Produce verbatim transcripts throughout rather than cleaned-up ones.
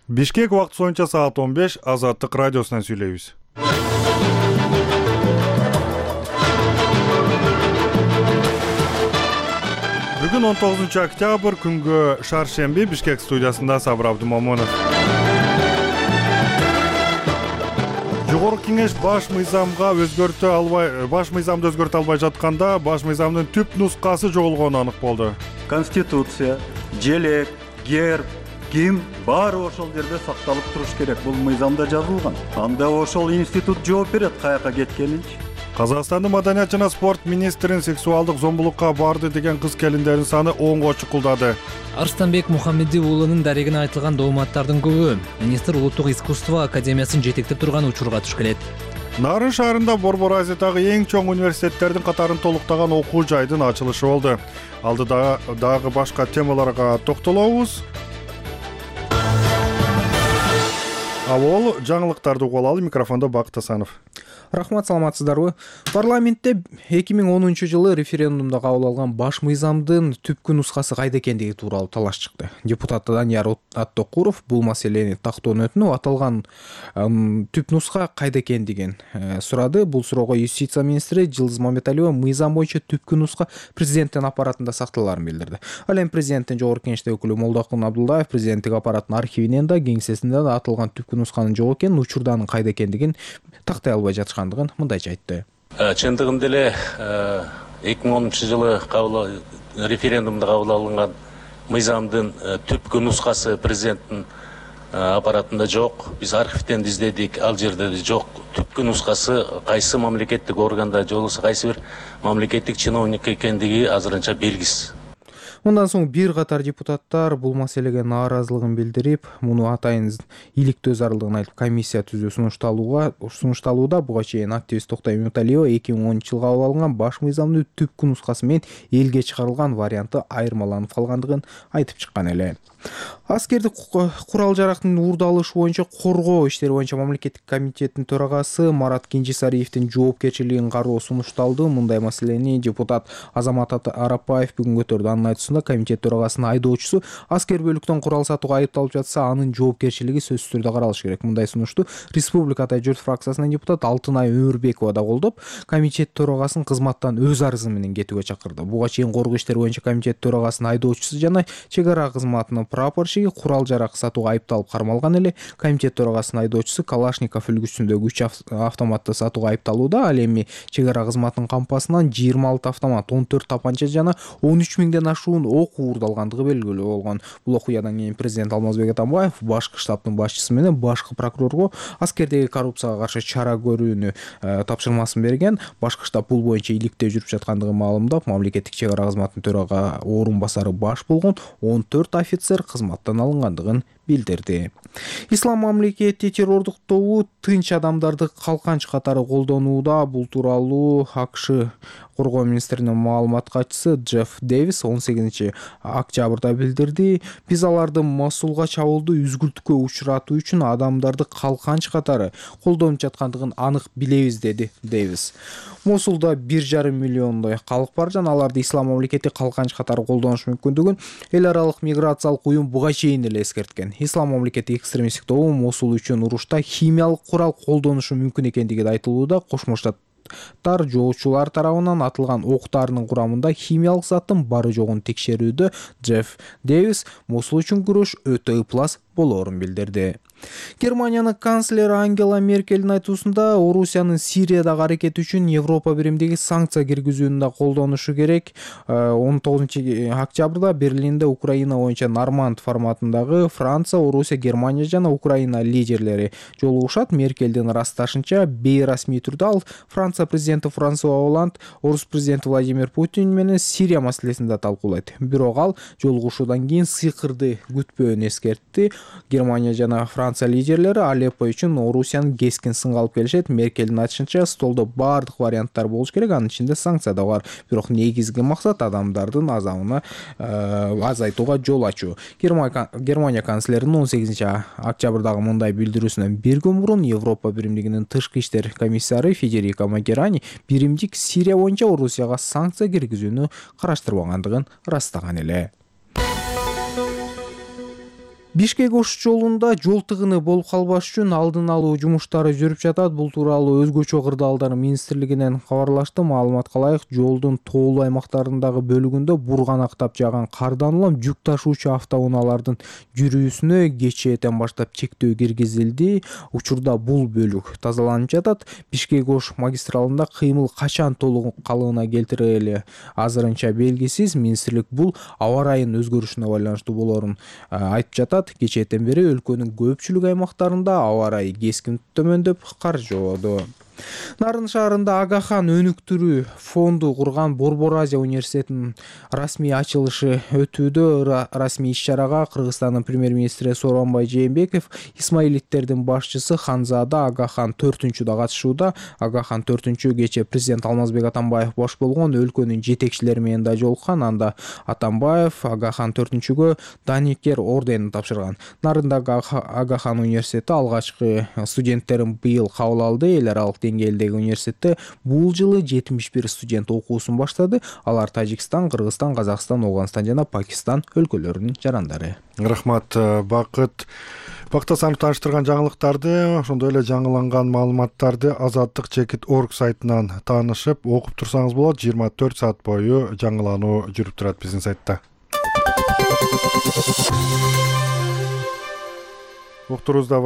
Бишкек убакыты боюнча саат он беш, Азаттык радиосунан сүйлөйбүз. Бүгүн он тогузунчу октябрь, күнгө шаршемби, Бишкек студиясында Сабыр Абдумомунов. Жогорку кеңеш баш мыйзамга өзгөртө албай, баш мыйзамды өзгөртө албай жатканда, баш мыйзамдын түп нускасы жоголгону анык болду. Конституция, желек, герб, ким баары ошол жерде сакталып туруш керек. Бул мыйзамда жазылган. Анда ошол институт жооп берет каяка кеткенинчи. Казакстандын маданият жана спорт министрин сексуалдык зомбулукка барды деген кыз келиндердин саны онго чукулдады. Арстанбек Мухаммеди уулунун дарегине айтылган дооматтардын көбү министр Улуттук искусство академиясын жетектеп турган учурга туш келет. Нарын шаарында Борбор Азиядагы эң чоң университеттердин катарын толуктаган окуу жайдын ачылышы болду. Алдыда дагы башка темаларга токтолобуз. Авол жаңылыктарды угуп алалы. Микрофондо Бакыт Асанов. Рахмат, саламатсыздарбы? Парламентте эки миң онунчу жылы референдумда кабыл алган баш мыйзамдын түпкү нускасы кайда экендиги тууралуу талаш чыкты. Депутат Данияр Аттокуров бул маселени тактоонун өтүнүп, аталган түп нуска кайда экендигин сурады. Бул суроого юстиция министри Жылдыз Маматалиева мыйзам боюнча түпкү нуска президенттин аппаратында сакталарын билдирди. Ал эми президенттин жогорку кеңештеги өкүлү Молдокун Абдулдаев президенттик аппараттын архивинен да, кеңсесинде да аталган түпкү нусканын жок экенин, учурданын кайда экендигин тактай албай жатышкандыгын мындайча айтты. Чындыгында эле эки миң онунчу жылы референдумда кабыл алынган мыйзамдын түпкү нускасы президенттин аппаратында жок. Биз архивден издедик, ал жерде жок. Түпкү нускасы кайсы мамлекеттик органда же болбосо кайсы бир мамлекеттик чиновник экендиги азырынча белгисиз. Мындан соң бир катар депутаттар бул маселеге нааразылыгын билдирип, муну атайын иликтөө зарылдыгын айтып комиссия түзүү сунушталууга сунушталууда. Буга чейин активист Токтой Маматалиева эки миң онунчу жылы кабыл алынган баш мыйзамдын түпкү нускасы менен элге чыгарылган варианты айырмаланып калгандыгын айтып чыккан эле. Аскердик курал жарактын уурдалышы боюнча коргоо иштери боюнча мамлекеттик комитеттин төрагасы Марат Кенжесариевдин жоопкерчилигин кароо сунушталды. Мындай маселени депутат Азамат Арапаев бүгүн көтөрдү. Анын айтуусунда, комитет төрагасынын айдоочусу аскер бөлүктөн курал сатууга айыпталып жатса, анын жоопкерчилиги сөзсүз түрдө каралышы керек. Мындай сунушту Республика Атай журт фракциясынын депутат Алтынай Өмүрбекова да колдоп, комитет төрагасын кызматтан өз арызы менен кетүүгө чакырды. Буга чейин коргоо иштери боюнча комитет төрагасынын айдоочусу жана чек ара кызматынын прапорщиги курал жарак сатууга айыпталып кармалган эле. Комитет төрагасынын айдоочусу Калашников үлгүсүндөгү үч автоматты сатууга айыпталууда. Ал эми чек ара кызматынын кампасынан жыйырма алты автомат, он төрт тапанча жана он үч миңден ашуун ок уурдалгандыгы белгилүү болгон. Бул окуядан кийин президент Алмазбек Атамбаев башкы штабтын башчысы менен башкы прокурорго аскердеги коррупцияга каршы чара көрүүнү тапшырмасын берген. Башкы штаб бул боюнча иликтөө жүрүп жаткандыгын маалымдап, мамлекеттик чек ара кызматынын төрага орун басары баш болгон он төрт офицер кызматтан алынгандыгын билдирди. Ислам мамлекети террордук тобу тынч адамдарды калканч катары колдонууда. Бул тууралуу АКШ коргоо министринин маалымат катчысы Джефф Дэвис он сегизинчи октябрда билдирди. Биз аларды Мосулга чабуулду үзгүлтүккө учуратуу үчүн адамдарды калканч катары колдонуп жаткандыгын анык билебиз, деди Дэвис. Мосулда бир жарым миллиондой калк бар жана аларды Ислам мамлекети калканч катары колдонуш мүмкүндүгүн эл аралык миграциялык уюм буга чейин эле эскерткен. Ислам мамлекети экстремисттик тобу Мосул үчүн урушта химиялык курал колдонушу мүмкүн экендиги да айтылууда. Кошмо Штаттар жоочулар тарабынан атылган октарынын курамында химиялык заттын бары жогун текшерүүдө. Джефф Дэвис Мосул үчүн күрөш өтө ыплас болоорун билдирди. Германиянын канцлери Ангела Меркельдин айтуусунда, Орусиянын Сириядагы аракети үчүн Европа биримдиги санкция киргизүүнү да колдонушу керек. он тогузунчу октябрда Берлинде Украина боюнча Норманд форматындагы Франция, Орусия, Германия жана Украина лидерлери жолугушат. Меркельдин ырасташынча, бейрасмий түрдө ал Франция президенти Франсуа Оланд, Орус президенти Владимир Путин менен Сирия маселесин да талкуулайт. Бирок ал жолугушуудан кийин сыйкырды күтпөөнү эскертти. Германия жана Франция лидерлери Алеппо үчүн Орусиянын кескин сынга алып келишет. Меркелдин айтышынча, столдо баардык варианттар болуш керек, анын ичинде санкция да бар. Бирок негизги максат адамдардын азабына азайтууга жол ачуу. Германия канцлеринин он сегизинчи октябрдагы мындай билдирүүсүнөн бир күн мурун Европа биримдигинин тышкы иштер комиссары Федерико Могерани биримдик Сирия боюнча Орусияга санкция киргизүүнү караштырбагандыгын ырастаган эле. Бишкек Ош жолунда жол тыгыны болуп калбаш үчүн алдын алуу жумуштары жүрүп жатат. Бул тууралуу өзгөчө кырдаалдар министрлигинен кабарлашты. Маалыматка ылайык, жолдун тоолуу аймактарындагы бөлүгүндө бурганактап жааган кардан улам жүк ташуучу автоунаалардын жүрүүсүнө кечээден баштап чектөө киргизилди. Учурда бул бөлүк тазаланып жатат. Бишкек Ош магистралында кыймыл качан толук калыбына келтирили азырынча белгисиз. Министрлик бул аба ырайынын өзгөрүшүнө байланыштуу болоорун айтып жатат. Кечээден бери өлкөнүн көпчүлүк аймактарында аба ырайы кескин төмөндөп, кар жаооду. Нарын шаарында Агахан өнүктүрүү фонду курган Борбор Азия университетинин расмий ачылышы өтүүдө. Расмий иш-чарага Кыргызстандын премьер-министри Сооронбай Жээнбеков, Исмаилиттердин башчысы Ханзада Агахан төртүнчү да катышууда. Агахан төртүнчү кечээ президент Алмазбек Атамбаев баш болгон өлкөнүн жетекчилери менен да жолуккан. Анда Атамбаев Агахан төртүнчүгө Даникер орденин тапшырган. Нарындагы Агахан университети алгачкы студенттерин быйыл кабыл алды. Эл аралык деңгээлдеги университетте бул жылы жетимиш бир студент окуусун баштады. Алар Тажикстан, Кыргызстан, Казакстан, Ооганстан жана Пакистан өлкөлөрүнүн жарандары. Рахмат, Бакыт. Бактасанов тааныштырган жаңылыктарды, ошондой эле жаңыланган маалыматтарды азаттык чекит точка орг сайтынан таанышып, окуп турсаңыз болот. жыйырма төрт саат бою жаңылануу жүрүп турат биздин сайтта. Уктурубузда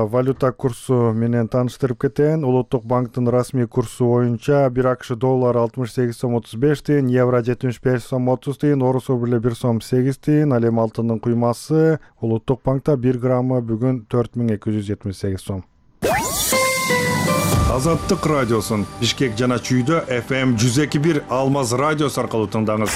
валюта курсу менен тааныштырып кетейин. Улуттук банктын расмий курсу боюнча бир АКШ доллары алтымыш сегиз сом отуз беш тыйын, евро жетимиш беш сом отуз тыйын, орус рубли бир сом сегиз тыйын, ал эми алтындын куймасы Улуттук банкта бир граммы бүгүн төрт миң эки жүз жетимиш сегиз сом. Азаттык радиосун Бишкек жана Чүйдө эф эм жүз эки бир Алмаз радиосу аркылуу тыңдаңыз.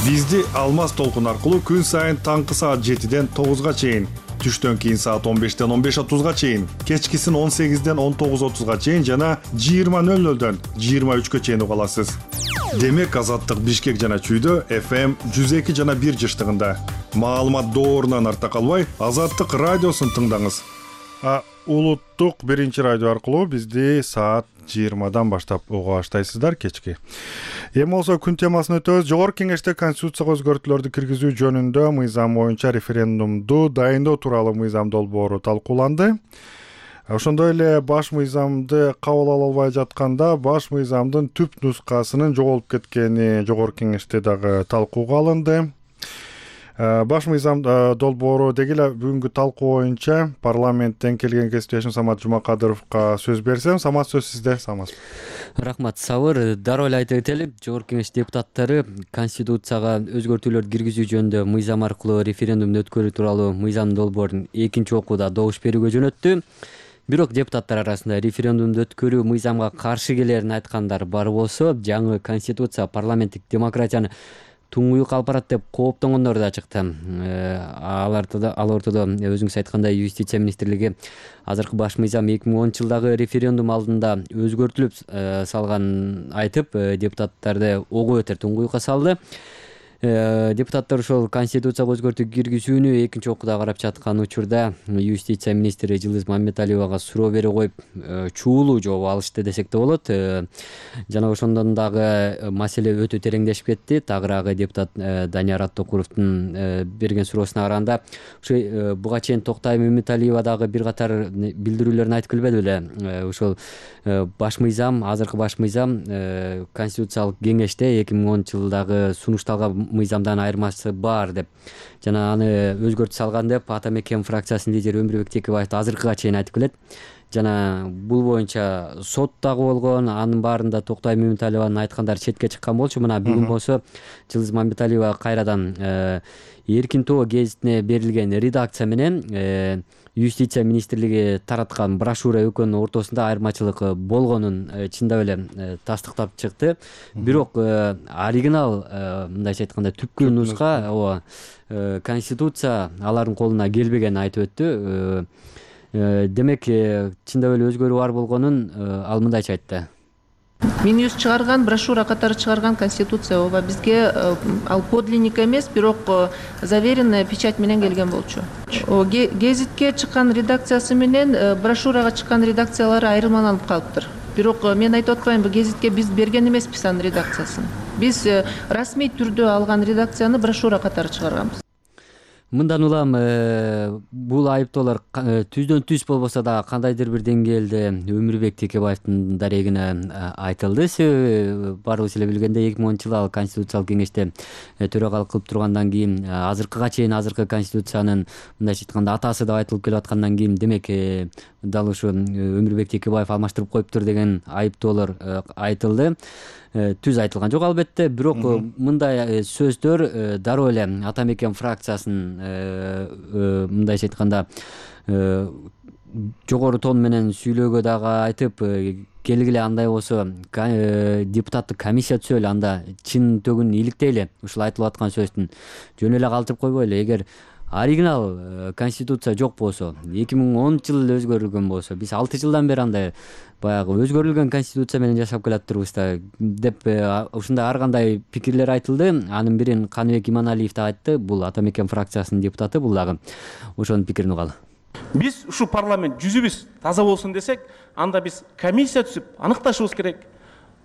Бизди Алмаз толкун аркылуу күн сайын таңкы саат жетиден тогузга чейин, түштөн кийин саат он бештен он беш отузга чейин, кечкисин он сегизден он тогуз отузга чейин жана жыйырма нөл нөлдөн жыйырма үчкө чейин уга аласыз. Демек Азаттык Бишкек жана Чүйдө эф эм жүз эки жана бир жыштыгында. Маалымат доорунан арта калбай, Азаттык радиосун тыңдаңыз. А улуттук биринчи радио аркылуу бизди саат жыйырмадан баштап уга баштайсыздар кечки. Эми болсо күн темасын өтөбүз. Жогорку Кеңеште Конституцияга өзгөртүүлөрдү киргизүү жөнүндө мыйзам боюнча референдумду дайындоо тууралуу мыйзам долбоору талкууланды. Ошондой эле баш мыйзамды кабыл ала албай жатканда баш мыйзамдын түп нускасынын жоголуп кеткени Жогорку Кеңеште дагы талкууга алынды. Баш мыйзам долбоору деги эле бүгүнкү талкуу боюнча парламенттен келген кесиптешим Самат Жумакадыровго сөз берсем. Самат, сөз сизде. Самат. Рахмат, Сабыр. Дароо эле айтып кетели, Жогорку Кеңеш депутаттары Конституцияга өзгөртүүлөрдү киргизүү жөнүндө мыйзам аркылуу референдумду өткөрүү тууралуу мыйзам долбоорун экинчи окууда добуш берүүгө жөнөттү. Бирок депутаттар арасында референдумду өткөрүү мыйзамга каршы келерин айткандар бар болсо, жаңы Конституция парламенттик демократияны туңгуюк алып барат деп кооптонгондор да чыкты. Аларда ал ортодо өзүңүз айткандай Юстиция министрлиги азыркы баш мыйзам эки миң онунчу жылдагы референдум алдында өзгөртүлүп салганын айтып, депутаттарды ого бетер туңгуюкка салды. Депутаттар ошол Конституцияга өзгөртүү киргизүүнү экинчи окууда карап жаткан учурда Юстиция министри Жылыз Мамметалиевага суроо бере коюп, чуулуу жооп алышты десек да болот. Жана ошондон дагы маселе өтө тереңдешип кетти. Тагыраагы депутат Данияр Аттокуровдун берген суроосуна караганда, ошо буга чейин Токтай Мамметалиева дагы бир катар билдирүүлөрүн айтып келбеди беле. Ошол баш мыйзам, азыркы баш мыйзам Конституциялык кеңеште эки миң онунчу жылдагы сунушталган мыйзамдан айырмасы бар деп, жана аны өзгөртүп салган деп Ата Мекен фракциясынын лидери Өмүрбек Текебаев азыркыга чейин айтып келет. Жана бул боюнча сот дагы болгон, анын баарында Токтай Мамметалиеванын айткандары четке чыккан болчу. Мына бүгүн болсо Жылыз Мамметалиева кайрадан Эркин тоо гезитине берилген редакция менен Юстиция министрлиги тараткан брошюра экөөнүн ортосунда айырмачылык болгонун чындап эле тастыктап чыкты. Бирок оригинал, мындайча айтканда түпкү нуска, ооба, Конституция алардын колуна келбегенин айтып өттү. Демек, чындап эле өзгөрүү бар болгонун ал мындайча айтты. Минюс чыгарган, брошюра катары чыгарган Конституция ооба бизге ал подлинник эмес, бирок заверенная печать менен келген болчу. Гезитке чыккан редакциясы менен брошюрага чыккан редакциялары айырмаланып калыптыр. Бирок мен айтып атпаймынбы, гезитке биз берген эмеспиз анын редакциясын. Биз расмий түрдө алган редакцияны брошюра катары чыгарганбыз. мындан улам бул айыптоолор түздөн түз болбосо дагы кандайдыр бир деңгээлде Өмүрбек Текебаевдин дарегине айтылды. Себеби баарыбыз эле билгендей эки миң онунчу жылы ал Конституциялык кеңеште төрагалык кылып тургандан кийин азыркыга чейин азыркы Конституциянын мындайча айтканда атасы деп айтылып келип аткандан кийин демек дал ушу Өмүрбек Текебаев алмаштырып коюптур деген айыптоолор айтылды. Түз айтылган жок албетте, бирок мындай сөздөр дароо эле Ата Мекен фракциясынын мындайча айтканда жогору тон менен сүйлөөгө дагы айтып, келгиле андай болсо депутаттык комиссия түзөлү, анда чын төгүн иликтейли ушул айтылып аткан сөздүн жөн эле калтырып койбойлу. Эгер оригинал конституция жок болсо, эки миң онунчу жылы өзгөрүлгөн болсо, биз алты жылдан бери андай баягы өзгөрүлгөн конституция менен жашап келатырбыз да деп ушундай ар кандай пикирлер айтылды. Анын бирин Каныбек Иманалиев да айтты. Бул Ата Мекен фракциясынын депутаты, бул дагы ошонун пикирин угалы. Биз ушу парламент жүзүбүз таза болсун десек, анда биз комиссия түзүп аныкташыбыз керек.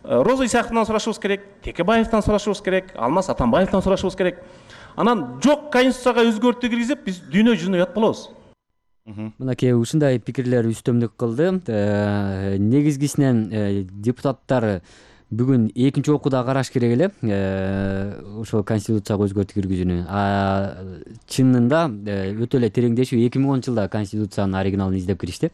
Роза Исаковдон сурашыбыз керек, Текебаевден сурашыбыз керек, Алмаз Атамбаевден сурашыбыз керек. Анан жок конституцияга өзгөртүү киргизип, биз дүйнө жүзүнө уят болобуз. Мынакей ушундай пикирлер үстөмдүк кылды. Негизгисинен депутаттар бүгүн экинчи окууда караш керек эле ошол конституцияга өзгөртүү киргизүүнү. А чынында өтө эле тереңдешип эки миң онунчу жылда конституциянын оригиналын издеп киришти.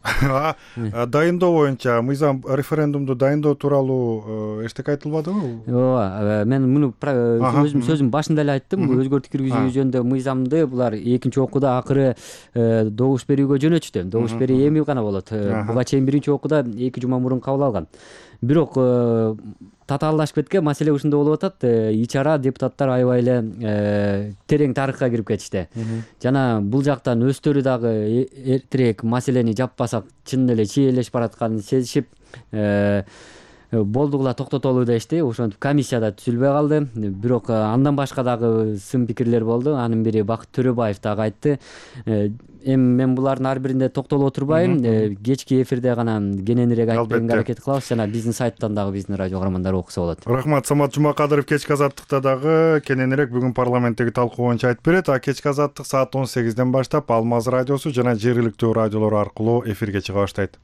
Дайындоо боюнча мыйзам референдумду дайындоо тууралуу эчтеке айтылбадыбы? Ооба, мен муну өзүм сөзүм башында эле айттым. Өзгөртүү киргизүү жөнүндө мыйзамды булар экинчи окууда акыры добуш берүүгө жөнөтүштү. Добуш берүү эми гана болот. Буга чейин биринчи окууда эки жума мурун кабыл алган. Бирок татаалдашып кеткен маселе ушунда болуп атат. Ичара депутаттар аябай эле терең тарыхка кирип кетишти. Жана бул жактан өздөрү дагы эртерээк маселени жаппасак чын эле чийлешип баратканын сезишип болдугула токтотолу дешти. Ошентип комиссияда түзүлбөй калды. Бирок андан башка дагы сын пикирлер болду. Анын бири Бакыт Төрөбаев дагы айтты. Эми мен булардын ар биринде токтолуп отурбайм. Кечки эфирде гана кененирээк айтып берүүгө аракет кылабыз. Жана биздин сайттан дагы биздин радио каармандары окуса болот. Рахмат. Самат Жумакадыров кечки азаттыкта дагы кененирээк бүгүн парламенттеги талкуу боюнча айтып берет. А кечки азаттык саат он сегизден баштап Алмаз радиосу жана жергиликтүү радиолор аркылуу эфирге чыга баштайт.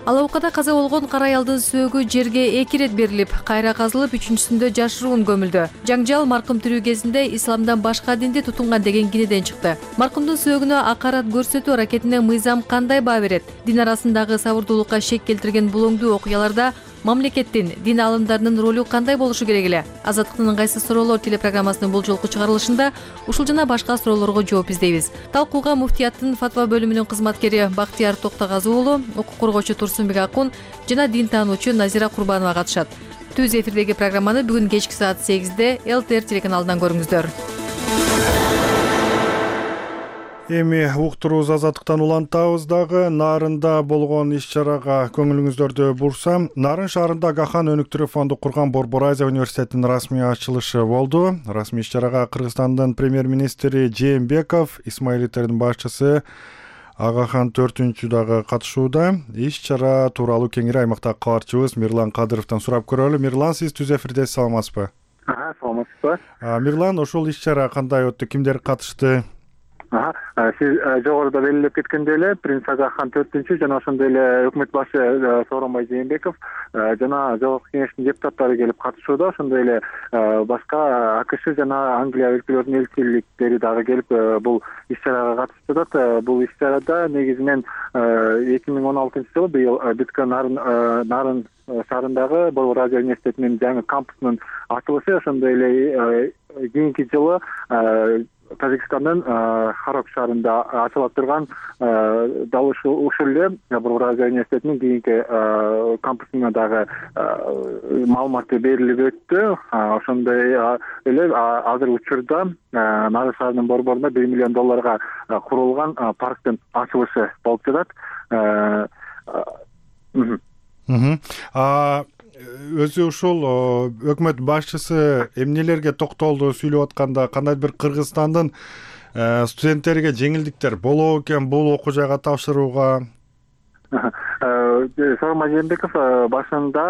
Ала Букада каза болгон кара аялдын сөөгү жерге эки ирет берилип, кайра казылып, үчүнчүсүндө жашыруун көмүлдү. Жаңжал маркум тирүү кезинде исламдан башка динди тутунган деген кинеден чыкты. Маркумдун сөөгүнө акарат көрсөтүү аракетине мыйзам кандай баа берет? Дин арасындагы сабырдуулукка шек келтирген булоңдуу окуяларда мамлекеттин, дин алымдарынын ролу кандай болушу керек эле? Азаттыктын ыңгайсыз суроолор телепрограммасынын бул жолку чыгарылышында ушул жана башка суроолорго жооп издейбиз. Талкууга муфтияттын фатва бөлүмүнүн кызматкери Бактияр Токтогазы уулу, укук коргоочу Турсунбек Акун жана дин таануучу Назира Курбанова катышат. Түз эфирдеги программаны бүгүн кечки саат сегизде эл тэ эр телеканалынан көрүңүздөр. Эми уктурубуз азаттыктан улантабыз дагы. Нарында болгон иш-чарага көңүлүңүздөрдү бурсам, Нарын шаарында Гахан өнүктүрүү фонду курган Борбор Азия университетинин расмий ачылышы болду. Расмий иш-чарага Кыргызстандын премьер-министри Жээнбеков, Исмаилиттердин башчысы Агахан төртүнчү дагы катышууда. Иш-чара тууралуу кеңири аймактагы кабарчыбыз Мирлан Кадыровдон сурап көрөлү. Мирлан, сиз түз эфирде саламатсызбы? Ага, саламатсызбы. Мирлан, ошол иш-чара кандай өттү? Кимдер катышты? Сиз жогоруда белгилеп кеткендей эле принц Агахан төртүнчү жана ошондой эле өкмөт башы Сооронбай Жээнбеков жана Жогорку кеңештин депутаттары келип катышууда. Ошондой эле башка АКШ жана Англия өлкөлөрүнүн элчиликтери дагы келип бул иш-чарага катышты. Бул иш-чарада негизинен эки миң он алтынчы жылы быйыл бүткөн Нарын шаарындагы Борбор Азия университетинин жаңы кампусунун ачылышы, ошондой эле кийинки жылы Тажикстандын Харок шаарында ачылып турган дал ушул эле Борбор Азия университетинин кийинки кампусуна дагы маалыматы берилип өттү. Ошондой эле азыр учурда Нарын шаарынын борборунда бир миллион долларга курулган парктын ачылышы болуп жатат. Өзү ушул өкмөт башчысы эмнелерге токтолду сүйлөп атканда, кандай бир Кыргызстандын студенттериге жеңилдиктер болобу экен бул окуу жайга тапшырууга? Сооронбай Жээнбеков башында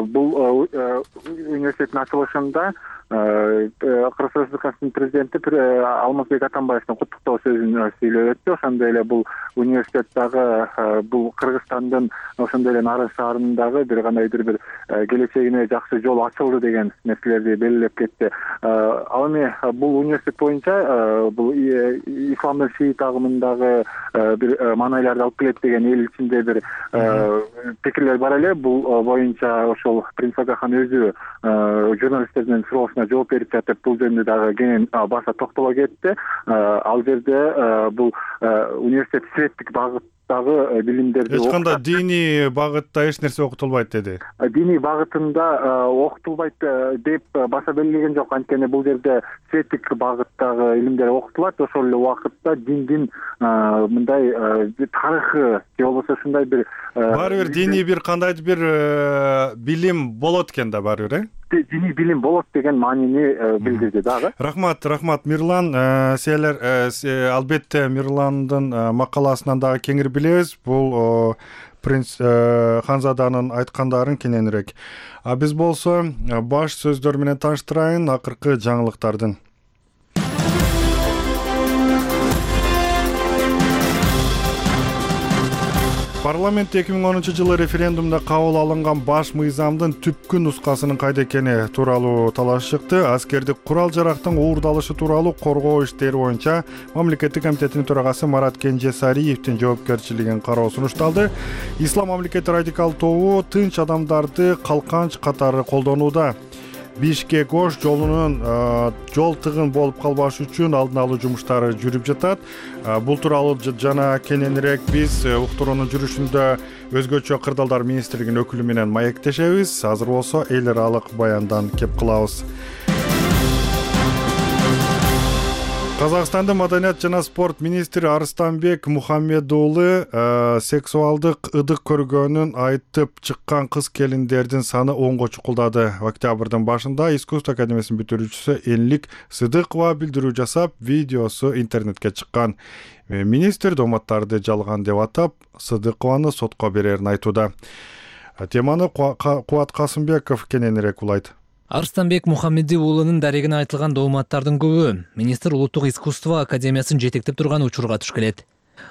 бул университеттин ачылышында Кыргыз Республикасынын президенти Алмазбек Атамбаевдин куттуктоо сөзүн сүйлөп өттү. Ошондой эле бул университет дагы бул Кыргызстандын ошондой эле Нарын шаарындагы бир кандайдыр бир келечегине жакшы жол ачылды деген нерселерди белгилеп кетти. Ал эми бул университет боюнча бул исламдын шиит агымындагы бир маанайларды алып келет деген эл ичинде бир пикирлер бар эле. Бул боюнча ошол Принц Агахан өзү журналисттердин суроосуна жооп берип жатып бул жөнүндө дагы кенен баса токтоло кетти. Ал жерде бул университет светтик багыттагы билимдерди эч кандай диний багытта эч нерсе окутулбайт деди. Диний багытында окутулбайт деп баса белгилеген жок. Анткени бул жерде светтик багыттагы илимдер окутулат. Ошол эле убакытта диндин мындай тарыхы же болбосо ушундай бир баары бир диний бир кандайдыр бир билим болот экен да баары бир, э? Диний билим болот деген маанини билдирди дагы. Рахмат, рахмат Мирлан. Силер албетте Мирландын макаласынан дагы кеңири билебиз. Бул принц Ханзаданын айткандарын кененирээк. А биз болсо баш сөздөр менен тааныштырайын акыркы жаңылыктардын. Парламент эки миң онунчу жылы референдумда кабыл алынган баш мыйзамдын түпкү нускасынын кайда экени тууралуу талаш чыкты. Аскердик курал-жарактын уурдалышы тууралуу коргоо иштери боюнча мамлекеттик комитетинин төрагасы Марат Кенжесариевдин жоопкерчилигин кароо сунушталды. Ислам мамлекети радикал тобу тынч адамдарды калканч катары колдонууда. Бишкек Ош жолунун жол тыгын болуп калбаш үчүн алдын алуу жумуштары жүрүп жатат. Бул тууралуу жана кененирээк биз уктуруунун жүрүшүндө өзгөчө кырдаалдар министрлигинин өкүлү менен маектешебиз. Азыр болсо эл аралык баяндан кеп кылабыз. Казакстандын маданият жана спорт министри Арыстанбек Мухаммедуулы сексуалдык ыдык көргөнүн айтып чыккан кыз келиндердин саны онго чукулдады. Октябрдын башында искусство академиясынын бүтүрүүчүсү Энлик Сыдыкова билдирүү жасап, видеосу интернетке чыккан. Министр дооматтарды жалган деп атап, Сыдыкованы сотко берерин айтууда. Теманы Кубат Касымбеков кененирээк улайт. Арыстанбек Мухаммеди уулунун дарегине айтылган дооматтардын көбү министр улуттук искусство академиясын жетектеп турган учурга туш келет.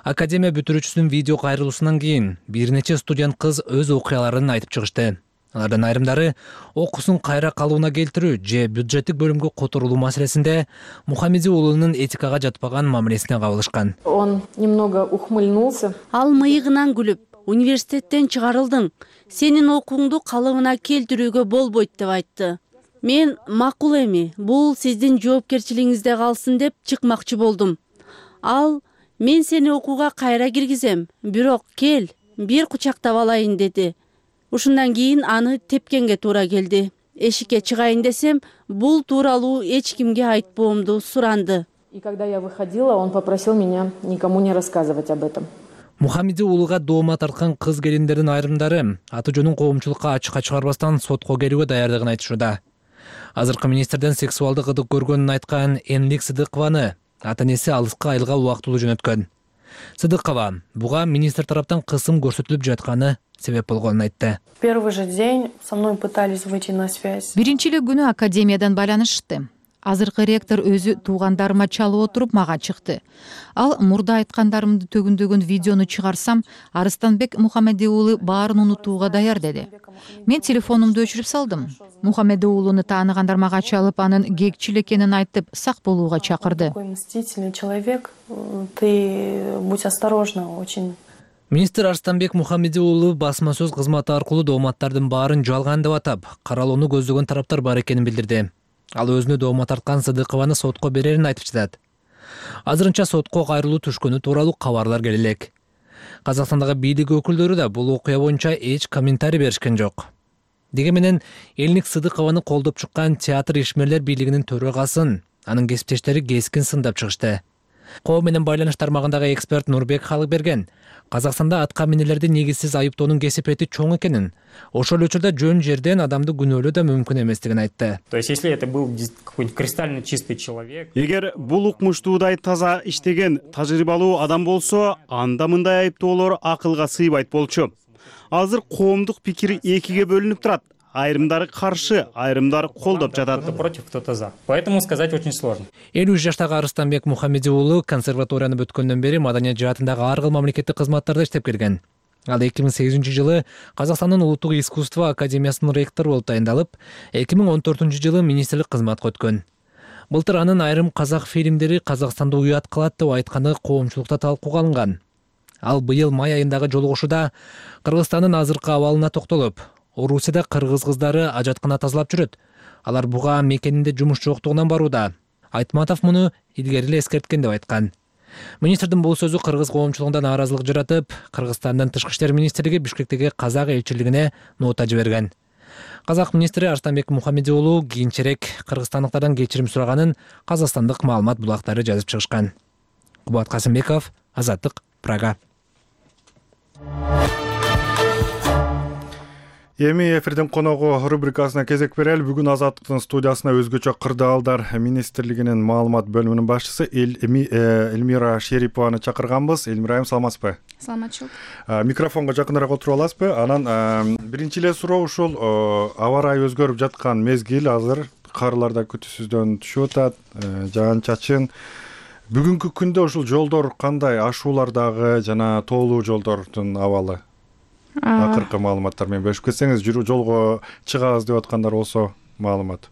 Академия бүтүрүүчүсүнүн видео кайрылуусунан кийин бир нече студент кыз өз окуяларын айтып чыгышты. Алардын айрымдары окуусун кайра калууна келтирүү же бюджеттик бөлүмгө которулуу маселесинде Мухаммеди уулунун этикага жатпаган мамилесине кабылышкан. Он немного ухмыльнулся. Ал мыйыгынан күлүп, университеттен чыгарылдың, сенин окууңду калыбына келтирүүгө болбойт деп айтты. Мен макул эми, бул сиздин жоопкерчилигиңизде калсын деп чыкмакчы болдум. Ал, мен сени окууга кайра киргизем, бирок кел, бир кучактап алайын деди. Ушундан кийин аны тепкенге туура келди. Эшикке чыгайын десем, бул тууралуу эч кимге айтпоомду суранды. И когда я выходила, он попросил меня никому не рассказывать об этом. Мухаммеди уулуга доомат тарткан кыз келиндердин айрымдары аты жөнүн коомчулукка ачыкка чыгарбастан сотко келүүгө даярдыгын айтышууда. Азыркы министрден сексуалдык ыдык көргөнүн айткан Энлик Сыдыкованы ата-энеси алыска айылга убактылуу жөнөткөн. Сыдыкова буга министр тараптан кысым көрсөтүлүп жатканы себеп болгонун айтты. Первый же день со мной пытались выйти на связь. Биринчи эле күнү академиядан байланышты. Азыркы ректор өзү туугандарыма чалып отуруп мага чыкты. Ал мурда айткандарымды төгүндөгөн видеону чыгарсам, Арыстанбек Мухаммеди уулу баарын унутууга даяр деди. Мен телефонумду өчүрүп салдым. Мухаммеди уулуну тааныгандар мага чалып, анын кекчил экенин айтып, сак болууга чакырды. Такой мстительный человек, ты будь осторожна очень. Министр Арыстанбек Мухаммеди уулу басма сөз кызматы аркылуу дооматтардын баарын жалган деп атап, каралууну көздөгөн тараптар бар экенин билдирди. Ал өзүнө доомат тарткан Сыдыкованы сотко берерин айтып жатат. Азырынча сотко кайрылуу түшкөнү тууралуу кабарлар келе элек. Казакстандагы бийлик өкүлдөрү да бул окуя боюнча эч комментарий беришкен жок. Деги менен Элник Сыдыкованы колдоп чыккан театр ишмерлер бийлигинин төрагасын анын кесиптештери кескин сындап чыгышты. Коом менен байланыш тармагындагы эксперт Нурбек Халыкберген Казакстанда атка минелерди негизсиз айыптоонун кесипети чоң экенин, ошол учурда жөн жерден адамды күнөөлөө да мүмкүн эместигин айтты. То есть, если это был какой-нибудь кристально чистый человек. Эгер бул укмуштуудай таза иштеген, тажрыйбалуу адам болсо, анда мындай айыптоолор акылга сыйбайт болчу. Азыр коомдук пикир экиге бөлүнүп турат. айрымдары каршы, айрымдары колдоп жатат. Кто-то против, кто-то за. Поэтому сказать очень сложно. элүү үч жаштагы Арыстанбек Мухаммеди уулу консерваторияны бүткөндөн бери маданият жаатындагы ар кыл мамлекеттик кызматтарда иштеп келген. Ал эки миң сегизинчи жылы Казакстандын улуттук искусство академиясынын ректору болуп тайындалып, эки миң он төртүнчү жылы министрлик кызматка өткөн. Былтыр анын айрым казак фильмдери Казакстанды уят кылат деп айтканы коомчулукта талкууга алынган. Ал быйыл май айындагы жолугушууда Кыргызстандын азыркы абалына токтолуп, Орусияда кыргыз кыздары ажаткана тазалап жүрөт. Алар буга мекенинде жумуш жоктугунан барууда. Айтматов муну илгери эле эскерткен деп айткан. Министрдин бул сөзү кыргыз коомчулугунда нааразылык жаратып, Кыргызстандын тышкы иштер министрлиги Бишкектеги казак элчилигине нота жиберген. Казак министри Арыстанбек Мухаммеди уулу кийинчерээк кыргызстандыктардан кечирим сураганын казакстандык маалымат булактары жазып чыгышкан. Кубат Касымбеков, Азаттык, Прага. Эми эфирдин коногу рубрикасына кезек берели. Бүгүн Азаттыктын студиясына өзгөчө кырдаалдар министрлигинин маалымат бөлүмүнүн башчысы Эльмира Шерипованы чакырганбыз. Эльмира айым, саламатсызбы? Саламатчылык. Микрофонго жакыныраак отуруп аласызбы? Анан биринчи эле суроо ушул аба ырайы өзгөрүп жаткан мезгил, азыр карлар да күтүүсүздөн түшүп атат, жаан чачын. Бүгүнкү күндө ушул жолдор кандай, ашуулардагы жана тоолуу жолдордун абалы? Акыркы маалыматтар менен бөлүшүп кетсеңиз, жүрүү жолго чыгабыз деп аткандар болсо маалымат.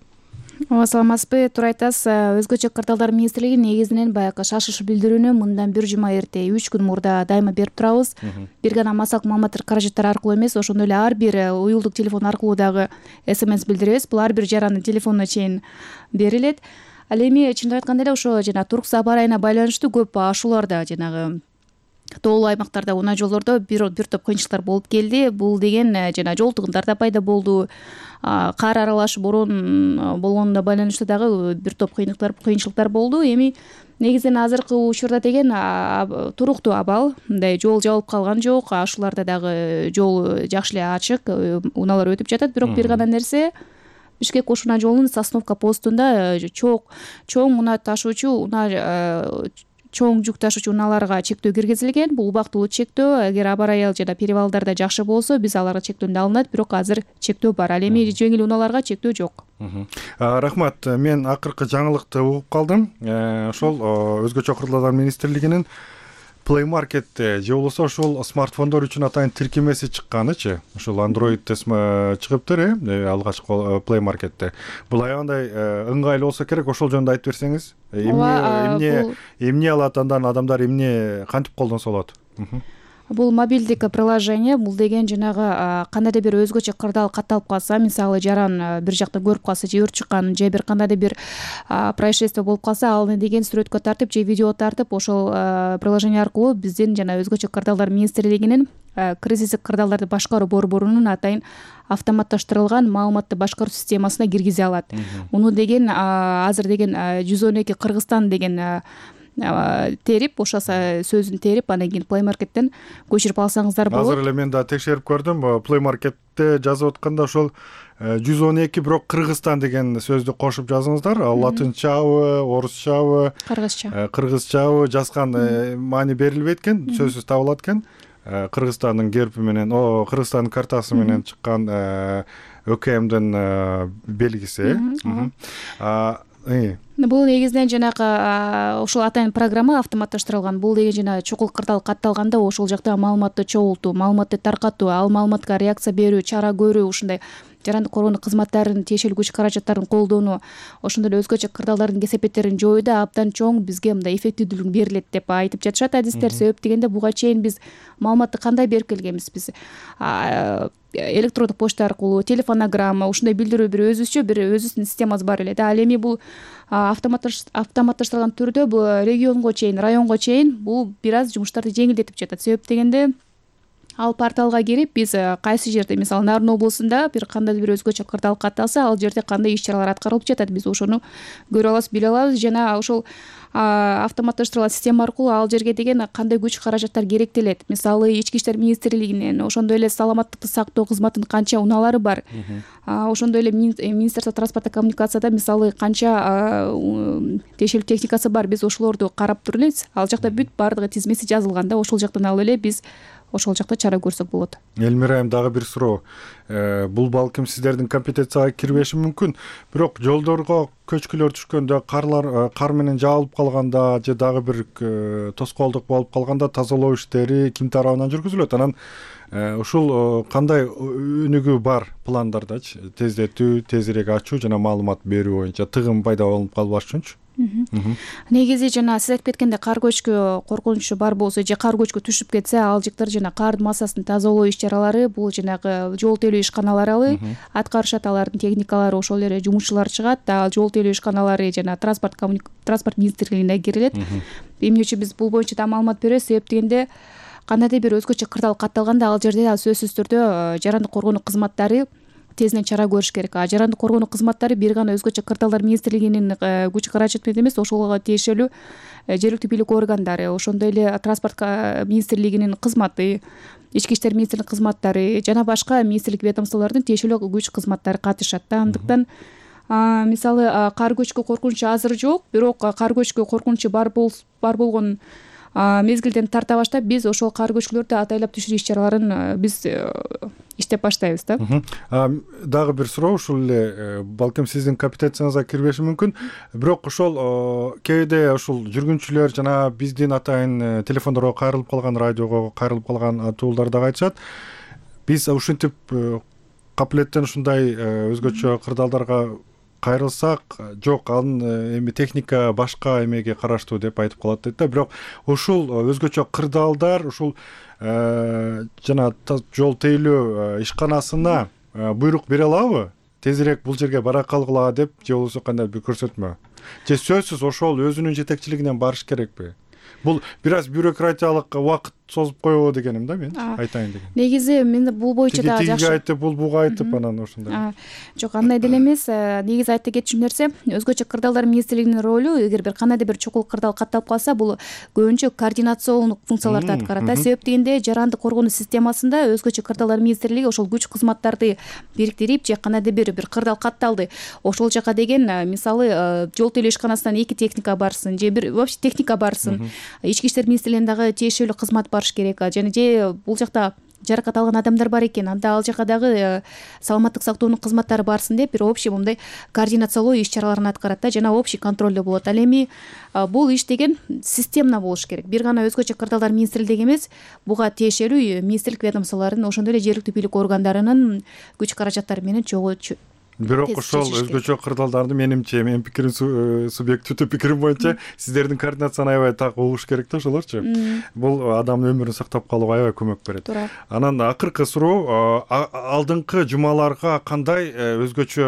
Ооба, саламатсызбы? Туура айтасыз. Өзгөчө кырдаалдар министрлиги негизинен баягы шашыш билдирүүнү мындан бир жума эрте, үч күн мурда дайыма берип турабыз. Бир гана массалык маалыматтар каражаттар аркылуу эмес, ошондой эле ар бир уюлдук телефон аркылуу дагы смс билдиребиз. Бул ар бир жарандын телефонуна чейин берилет. Ал эми чындап айтканда эле ошо жана турксу аба ырайына байланыштуу көп ашууларда, жанагы тоолуу аймактарда, унаа жолдордо бир бир топ кыйынчылыктар болуп келди. Бул деген жана жол тыгындар да пайда болду. Кар аралаш бороон болгонуна байланыштуу дагы бир топ кыйынчылыктар кыйынчылыктар болду. Эми негизинен азыркы учурда деген туруктуу абал, мындай жол жабылып калган жок, ашууларда дагы жол жакшы эле ачык, унаалар өтүп жатат. Бирок бир гана нерсе, Бишкек Ош унаа жолунун Сосновка постунда чоң унаа ташуучу унаа чоң жүк ташуучу унааларга чектөө киргизилген. Бул убактылуу чектөө. Эгер аба ырайы жана перевалдарда жакшы болсо, биз аларга чектөөдөн алынат, бирок азыр чектөө бар. Ал эми жеңил унааларга чектөө жок. Рахмат. Мен акыркы жаңылыкты угуп калдым. Ошол өзгөчө кырдаалдар министрлигинин Play Market'te же болсо ошол смартфондор үчүн атайын тиркемеси чыкканычы. Ошол Android'те чыгыптыр, э, алгачкы Play Market'те. Бул аябай ыңгайлуу болсо керек, ошол жөнүндө айтып берсеңиз. Эмне эмне эмне алат, андан адамдар эмне кантип колдонсо болот? Бул мобилдик приложение, бул деген жанагы кандайдыр бир өзгөчө кырдаал катталып калса, мисалы жаран бир жакта көрүп калса, же өрт чыккан, же бир кандайдыр бир происшествие болуп калса, ал деген сүрөткө тартып же видео тартып, ошол приложение аркылуу биздин жана өзгөчө кырдаалдар министрлигинин кризистик кырдаалдарды башкаруу борборунун атайын автоматташтырылган маалыматты башкаруу системасына киргизе алат. Муну деген азыр деген жүз он эки Кыргызстан деген терип, ошо сөзүн терип, анан кийин Play Market'тен көчүрүп алсаңыздар болот. Азыр эле мен да текшерип көрдүм. Play Market'те жазып атканда ошол жүз он эки бирок Кыргызстан деген сөздү кошуп жазыңыздар. Латынчабы, орусчабы, кыргызча. Кыргызчабы жазган маани берилбейт экен, сөзсүз табылат экен. Кыргызстандын герби менен, о, Кыргызстандын картасы менен чыккан ÖKMдин белгиси. Бул негизинен жанагы ошол атайын программа автоматташтырылган. Бул деген жана чукул кырдаал катталганда ошол жакта маалыматты чогултуу, маалыматты таркатуу, ал маалыматка реакция берүү, чара көрүү, ушундай жарандык коргонуу кызматтарынын тиешелүү күч каражаттарын колдонуу, ошондой эле өзгөчө кырдаалдардын кесепеттерин жоюуда абдан чоң бизге мындай эффективдүүлүк берилет деп айтып жатышат адистер. Себеп дегенде буга чейин биз маалыматты кандай берип келгенбиз? Биз электрондук почта аркылуу, телефонограмма, ушундай билдирүү бир өзүбүзчө бир өзүбүздүн системабыз бар эле да. Ал эми бул автоматташтырылган түрдө бул регионго чейин, районго чейин бул бир аз жумуштарды жеңилдетип жатат. Себеп дегенде ал порталга кирип, биз кайсы жерде, мисалы Нарын облусунда бир кандайдыр бир өзгөчө кырдаал катталса, ал жерде кандай иш-чаралар аткарылып жатат, биз ошону көрө алабыз, биле алабыз. Жана ошол автоматташтырылган система аркылуу ал жерге деген кандай күч каражаттар керектелет. Мисалы ички иштер министрлигинин, ошондой эле саламаттыкты сактоо кызматынын канча унаалары бар. Ошондой эле Министерство транспорта коммуникацияда мисалы канча тиешелүү техникасы бар. Биз ошолорду карап туруп элебиз. Ал жакта бүт баардыгы тизмеси жазылган да, ошол жактан алып эле биз ошол жакта чара көрсөк болот. Элмира, эми дагы бир суроо. Бул балким сиздердин компетенцияга кирбеши мүмкүн, бирок жолдорго көчкүлөр түшкөндө, карлар кар менен жаалып калганда же дагы бир тоскоолдук болуп калганда тазалоо иштери ким тарабынан жүргүзүлөт? Анан ушул кандай өнүгүү бар пландардачы? Тездетүү, тезирээк ачуу жана маалымат берүү боюнча тыгым пайда болуп калбаш үчүнчү? Негизи жана сиз айтып кеткендей кар көчкү коркунучу бар болсо же кар көчкү түшүп кетсе, ал жактар жана кардын массасын тазалоо иш-чаралары бул жанагы жол тейлөө ишканалары аткарышат, алардын техникалары, ошол эле жумушчулар чыгат. Ал жол тейлөө ишканалары жана транспорт транспорт министрлигине кирилет. Эмне үчүн биз бул боюнча да маалымат беребиз? Себеп дегенде кандайдыр бир өзгөчө кырдаал катталганда ал жерде сөзсүз түрдө жарандык коргонуу кызматтары тезинен чара көрүш керек. А жарандык коргонуу кызматтары бир гана өзгөчө кырдаалдар министрлигинин күч каражаты менен эмес, ошого тиешелүү жергиликтүү бийлик органдары, ошондой эле транспорт министрлигинин кызматы, ички иштер министрлигинин кызматтары жана башка министрлик ведомстволордун тиешелүү күч кызматтары катышат да. Андыктан мисалы кар көчкү коркунучу азыр жок, бирок кар көчкү коркунучу бар болгон мезгилден тарта баштап биз ошол кар көчкүлөрдү атайлап түшүрүү иш-чараларын биз иштеп баштайбыз да. Дагы бир суроо, ушул эле балким сиздин компетенцияңызга кирбеши мүмкүн, бирок ошол кээде ушул жүргүнчүлөр жана биздин атайын телефондорго кайрылып калган, радиого кайрылып калган атуулар дагы айтышат. Биз ушинтип капилеттен ушундай өзгөчө кырдаалдарга кайрылсак, жок, анын эми техника башка эмеге караштуу деп айтып калат дейт да. Бирок ушул өзгөчө кырдаалдар ушул жана жол тейлөө ишканасына буйрук бере алабы? Тезирээк бул жерге бара калгыла деп, же болбосо кандай бир көрсөтмө? Же сөзсүз ошол өзүнүн жетекчилигинен барыш керекпи? Бул бир аз бюрократиялык убакыт созуп коебу дегеним да, мен айтайын дегеним. Негизи мен бул боюнча да жакшы. Тиги айтып, бул буга айтып, анан ошондой. Жок, андай деле эмес. Негизи айта кетчү нерсе, өзгөчө кырдаалдар министрлигинин ролу, эгер бир кандайдыр бир чокул кырдаал катталып калса, бул көбүнчө координациондук функцияларды аткарат да. Себеп дегенде жарандык коргонуу системасында өзгөчө кырдаалдар министрлиги ошол күч кызматтарды бириктирип, же кандайдыр бир бир кырдаал катталды, ошол жака деген мисалы жол тейлөө ишканасынан эки техника барсын, же бир вообще техника барсын, ички иштер министрлигинин дагы тиешелүү кызмат барыш керек. Жана же бул жакта жаракат алган адамдар бар экен, анда ал жака дагы саламаттык сактоонун кызматтары барсын деп бир общий мындай координациялоо иш-чараларын аткарат да, жана общий контролдо болот. Ал эми бул иш деген системно болуш керек. Бир гана өзгөчө кырдаалдар министрлиги эмес, буга тиешелүү министрлик ведомстволорунун, ошондой эле жергиликтүү бийлик органдарынын күч каражаттары менен чогуу. Бирок ошол өзгөчө кырдаалдарды менимче, менин пикирим субъективдүү пикирим боюнча сиздердин координацияны аябай так угуш керек да ошолорчу. Бул адамдын өмүрүн сактап калууга аябай көмөк берет. Анан акыркы суроо, алдыңкы жумаларга кандай өзгөчө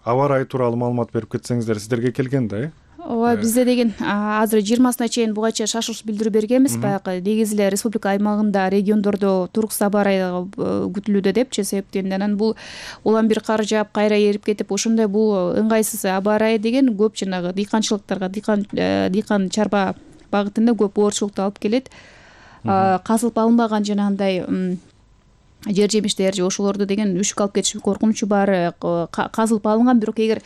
аба ырайы тууралуу маалымат берип кетсеңиздер, сиздерге келген да, э? Ооба, бизде деген азыр жыйырмасына чейин буга чейин шашылыш билдирүү бергенбиз. Баягы негизи эле республика аймагында, региондордо туруксуз аба ырайы күтүлүүдө депчи. Себептен анан бул улам бир кар жаап кайра эрип кетип, ошондой бул ыңгайсыз аба ырайы деген көп жанагы дыйканчылыктарга, дыйкан дыйкан чарба багытында көп оорчулукту алып келет. Казылып алынбаган жанагындай жер жемиштер же ошолорду деген үшүк алып кетиш коркунучу бар. Казылып алынган, бирок эгер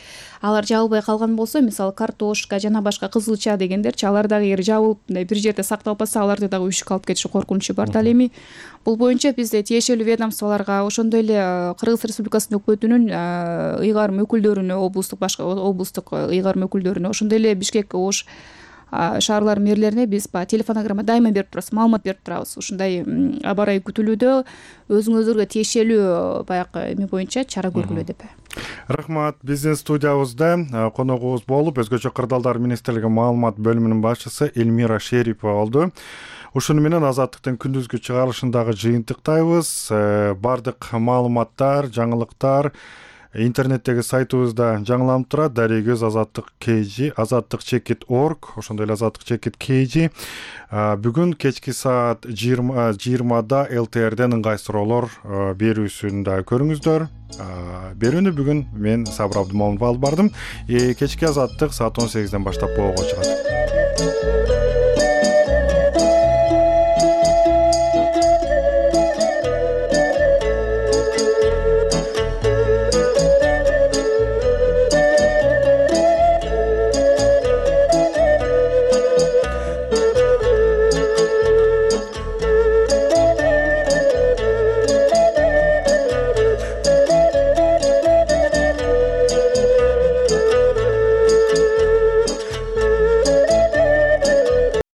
алар жабылбай калган болсо, мисалы картошка жана башка кызылча дегендерчи, алар дагы эгер жабылып бир жерде сакталбаса, аларды дагы үшүк алып кетиш коркунучу бар. Ал эми бул боюнча бизде тиешелүү ведомстволорго, ошондой эле Кыргыз Республикасынын өкмөтүнүн ыйгарым өкүлдөрүнө, облустук башка облустук ыйгарым өкүлдөрүнө, ошондой эле Бишкек, Ош шаарлар мэрлерине биз телефонограмма дайыма берип турабыз, маалымат берип турабыз. Ушундай аба ырайы күтүлүүдө, өзүңүздөргө тиешелүү баягы эме боюнча чара көргүлө деп. Рахмат. Биздин студиябызда коногубуз болуп, өзгөчө кырдаалдар министрлиги маалымат бөлүмүнүн башчысы Элмира Шерипова болду. Ушуну менен Азаттыктын күндүзгү чыгарылышындагы жыйынтыктайбыз. Бардык маалыматтар, жаңылыктар интернеттеги сайтыбызда жаңыланып турат. Дарегөз азаттык kg, азаттык чекит орг, ошондой эле азаттык чекит kg. Бүгүн кечки саат жыйырмада эл тэ эрден ыңгай суроолор берүүсүндө көрүңүздөр. Берүүнү бүгүн мен Сабыр Абдымомунов алып бардым. Кечки азаттык саат он сегизден баштап болго чыгат.